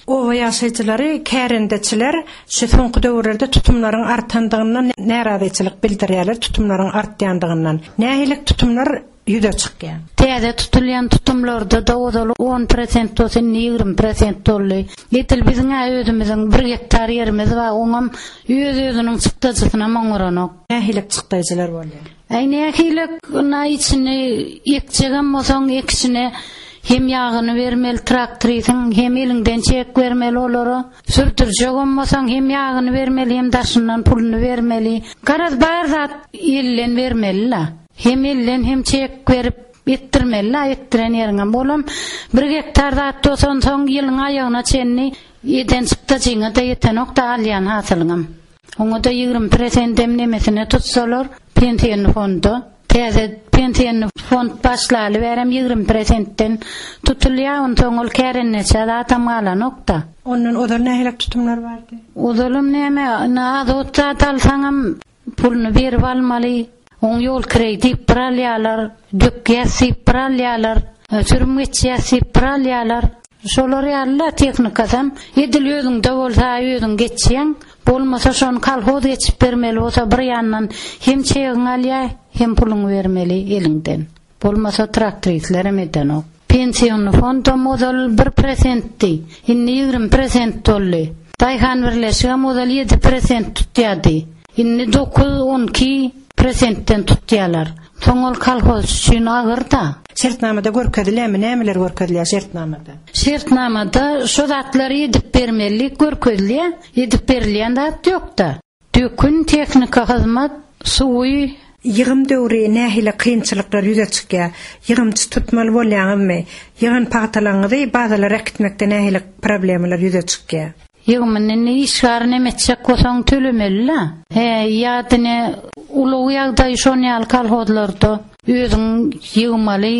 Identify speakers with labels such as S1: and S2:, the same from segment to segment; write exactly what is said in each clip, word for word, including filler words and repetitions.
S1: Oba ýaşaýjylary, kärendeçiler şu soňky döwürlerde tutumlaryň artandygyndan närazyçylyk bildirýärler, tutumlaryň artýandygyndan. Nähili tutumlar ýüze çykýar?
S2: Täze tutulýan tutumlarda-da ozal on prosent bolsa indi ýigrimi prosent boldy. Edil biziň özümiziň bir gektar ýerimiz bar, oňam öz-özüniň çykdajysyna oňaranok.
S1: Nähili çykdajylar bolýar?
S2: Aý nähili na içini ekjegem bolsaň ekişine hem ýagyny bermeli traktorisiň, hem eliňden çek bermeli olara. Sürdürjegem bolsaň hem ýagyny bermeli, hem daşyndan puluny bermeli. Garaz bar zat elden bermeli la. Hem elden hem çek berip etdirmeli la, etdiren ýeriňem bolam. Bir gektar zat bolsan soň ýylyň aýagyna çenli eden çykdajyňa da ýetenok da alýan hasylyňam. Oňa da ýigrimi prosentem nemesine tutsalar, pensiýany fonda, täze pensiýany fond başlaly berem ýigrimi prosentden tutulýar, onsoň ol kärendeçe zatam galanok da.
S1: Ondan ozal nähili tutumlar bardy?
S2: Ozalam näme, azot zat alsaňam puluny berip almaly. Oň ýol kireý diýip bir alýarlar, dökýäs diýip bir alýarlar, sürüm geçýäs diýip bir alýarlar. Şolar ýaly tehnikasam edil özüňde bolsa özüň geçýäň, bolmasa şony kolhoz geçip bermeli bolsa bir ýandan hem çegiň alýar, hem puluňy bermeli eliňden. Bolmasa traktoristlerem edenok. Pensiýony fondam ozal bir prosentdi, indi ýigrimi prosent boldy. Daýhan birleşigem ozal ýedi prosent tutýardy. Indi dokuz, on iki prosentden tutýarlar. Soň ol kolhoz üçin agyr da.
S1: Şertnamada görkezilýärmi? Nämeler görkezilýär şertnamada?
S2: Şertnamada şu zatlary edip bermeli görkezilýär. Edip berilýän zat ýok da. Dökün, tehnika hyzmat, suwy.
S1: Ýygym döwri nähili kynçylyklar ýüze çykýar? Ýygymçy tutmaly bolýaňyzmy? Ýygan pagtalaryňyzy bazalara äkitmekde nähili problemalar ýüze çykýar?
S2: Ýygymyny indi işgäri näme etjek bolsaň tölemeli la. He, ýa-da ulag ýagdaýy şon ýaly kolhozlarda özüň ýygmaly,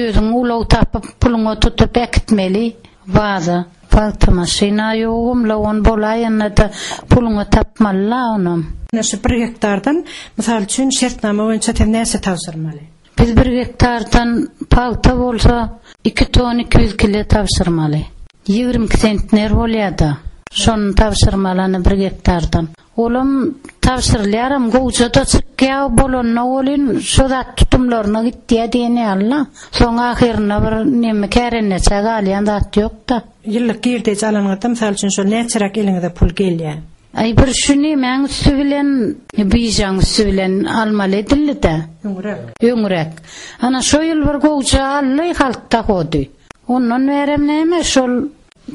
S2: özüň ulag tapyp puluňa tutup äkitmeli baza. Pagta maşyna ýogum, la on bolaýanda-da puluňa tapmaly la onam.
S1: Ine şu bir gektardan, mysal üçin, şertnama boýunça sen näçe tabşyrmaly?
S2: Biz bir gektardan pagta bolsa iki ton iki ýüz kilo tabşyrmaly. Ýigrimi iki sentner bolýar-da. Şony tabşyrmaly bir gektardan. Olam tabşyrylýaram, gowja-da çykýar, bolanda bolyn, şo zat tutumlaryna gitýär diýen ýaly-la. Soň ahyrynda bir neme kärendeçe galýan zat ýok-da.
S1: Ýyllyk girdeji alanyňyzda, mysal üçin, şol näçeräk eliňize pul gelýär?
S2: Aý bir şu nemäň üstü bilen, bijaň üstü bilen almaly edildi-de.
S1: Öňräk.
S2: Öňräk. Ana şo ýyl bir gowja aldy, halk hody. Ondan berem näme şol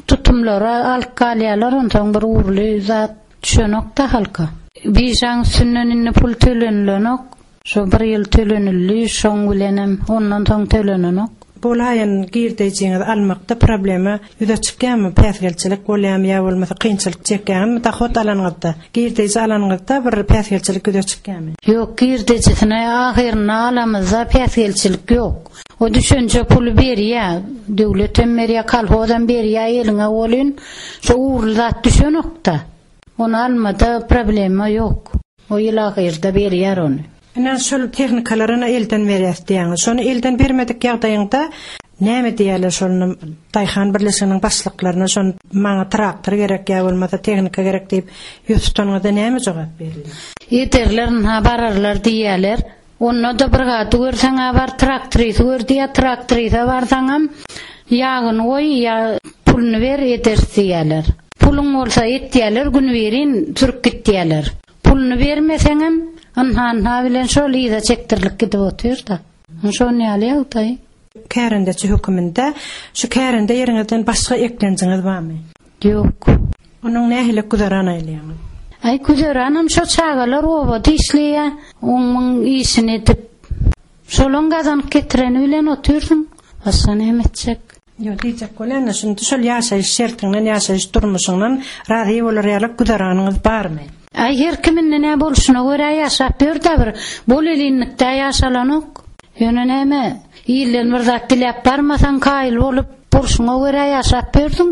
S2: tutumlara alyp galýarlar, onsoň bir ugrly zat düşenok-da halka. Bijaň üstünden indi pul tölenilenok. Şo bir ýyl tölenildi, şoň bilenem ondan soň tölenenok.
S1: Bolaýan girdejiňizi almakda problema ýüze çykýarmy? Päsgelçilik bolýarmy ýa bolmasa kynçylyk çekýärmi? Dahot alanyňyzda, girdeji alanyňyzda bir päsgelçilik ýüze çykýarmy?
S2: Ýok, girdejisine ahyrynda alamyzda päsgelçilik ýok. O düşünje puly berýär, döwlet hem berýär, kolhoz hem berýär, eliňe bolyn, şo ugrly zat düşenok-da. Onu almada problema ýok. O ýyl ahyrda berýär ony.
S1: Ine şol tehnikalaryny elden berýär diýýäňiz. Şony elden bermedik ýagdaýyňda näme diýerler şony Daýhan birleşiginiň başlyklaryna şony maňa traktor gerek ýa bolmasa tehnika gerek diýip ýüz tutanyňyzda näme jogap berilýär?
S2: Ederler, ha bararlar diýerler. Onda da bir gady görseň ha bar traktorysy gör diýär, traktorysa barsaňam ýagyny goý ýa puluny ber edersiz diýerler. Puluň bolsa etýärler, gün berin sürüp gitýärler. Puluny bermeseňem ynha-ynha bilen şol ýa çekdirlik gidip otyr-da. Şon ýaly ýagdaý.
S1: Kärendeçi höküminde şu kärende ýeriňizden başga eklenjiňiz barmy?
S2: Ýok.
S1: Onuň nähili güzeran aýlaýaňyz?
S2: Aý güzeranam şo çagalar obada işleýär, onuň işini edip şolaň gazanyp getireni bilen otyrsyň. Başga näme etjek?
S1: Ýok, diýjek bolýan, şunda şol ýaşaýyş şertinden, ýaşaýyş durmuşyndan razy bolar ýaly güzeranyňyz barmy?
S2: Aý her kimin näme bolşuna görä ýaşap ýör-de bir bol elinlikde ýaşalanok. Ýöne näme, ýyldan bir zat diläp barmasaň kaýyl bolup, bolşuňa görä ýaşap ýörsüň.